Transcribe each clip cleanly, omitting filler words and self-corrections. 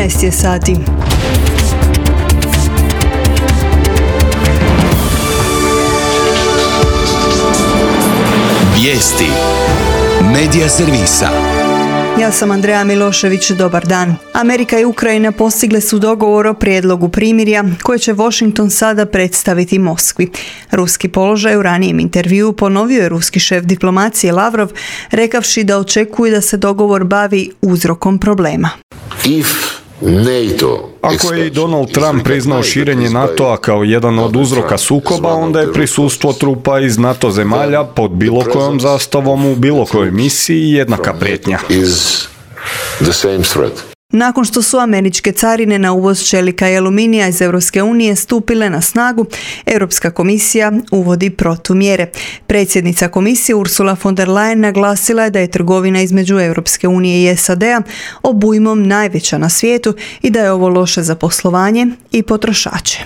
13 je sati. Vijesti Medija servisa. Ja sam Andreja Milošević, dobar dan. Amerika i Ukrajina postigle su dogovor o prijedlogu primirja koje će Washington sada predstaviti Moskvi. Ruski položaj u ranijem intervjuu ponovio je ruski šef diplomacije Lavrov, rekavši da očekuje da se dogovor bavi uzrokom problema. Ako je i Donald Trump priznao širenje NATO-a kao jedan od uzroka sukoba, onda je prisustvo trupa iz NATO zemalja pod bilo kojom zastavom u bilo kojoj misiji jednaka prijetnja. Nakon što su američke carine na uvoz čelika i aluminija iz Europske unije stupile na snagu, Europska komisija uvodi protumjere. Predsjednica komisije Ursula von der Leyen naglasila je da je trgovina između Europske unije i SAD-a obujmom najveća na svijetu i da je ovo loše za poslovanje i potrošače.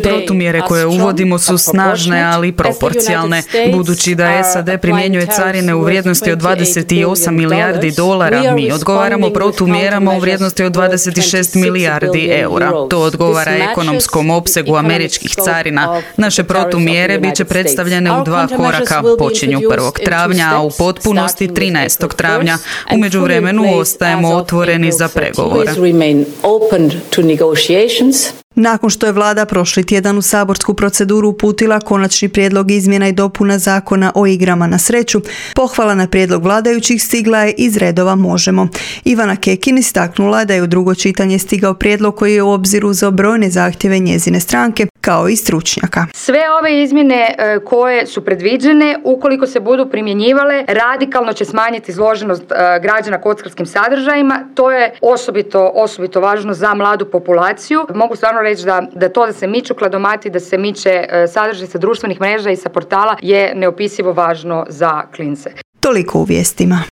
Protumjere koje uvodimo su snažne, ali proporcionalne. Budući da SAD primjenjuje carine u vrijednosti od 28 milijardi dolara, mi odgovaramo protumjerama u vrijednosti od 26 milijardi eura. To odgovara ekonomskom opsegu američkih carina. Naše protumjere bit će predstavljene u dva koraka. Počinju 1. travnja, a u potpunosti 13. travnja. U međuvremenu ostajemo otvoreni za pregovore. Nakon što je vlada prošli tjedan u saborsku proceduru uputila konačni prijedlog izmjena i dopuna zakona o igrama na sreću, pohvala na prijedlog vladajućih stigla je iz redova Možemo. Ivana Kekin istaknula da je u drugo čitanje stigao prijedlog koji je u obzir uzeo brojne zahtjeve njezine stranke, kao i stručnjaka. Sve ove izmjene koje su predviđene, ukoliko se budu primjenjivale, radikalno će smanjiti izloženost građana kockarskim sadržajima. To je osobito važno za mladu populaciju. Mogu stvarno reći da se miču kladomati, da se miče sadržaj sa društvenih mreža i sa portala je neopisivo važno za klince. Toliko u vijestima.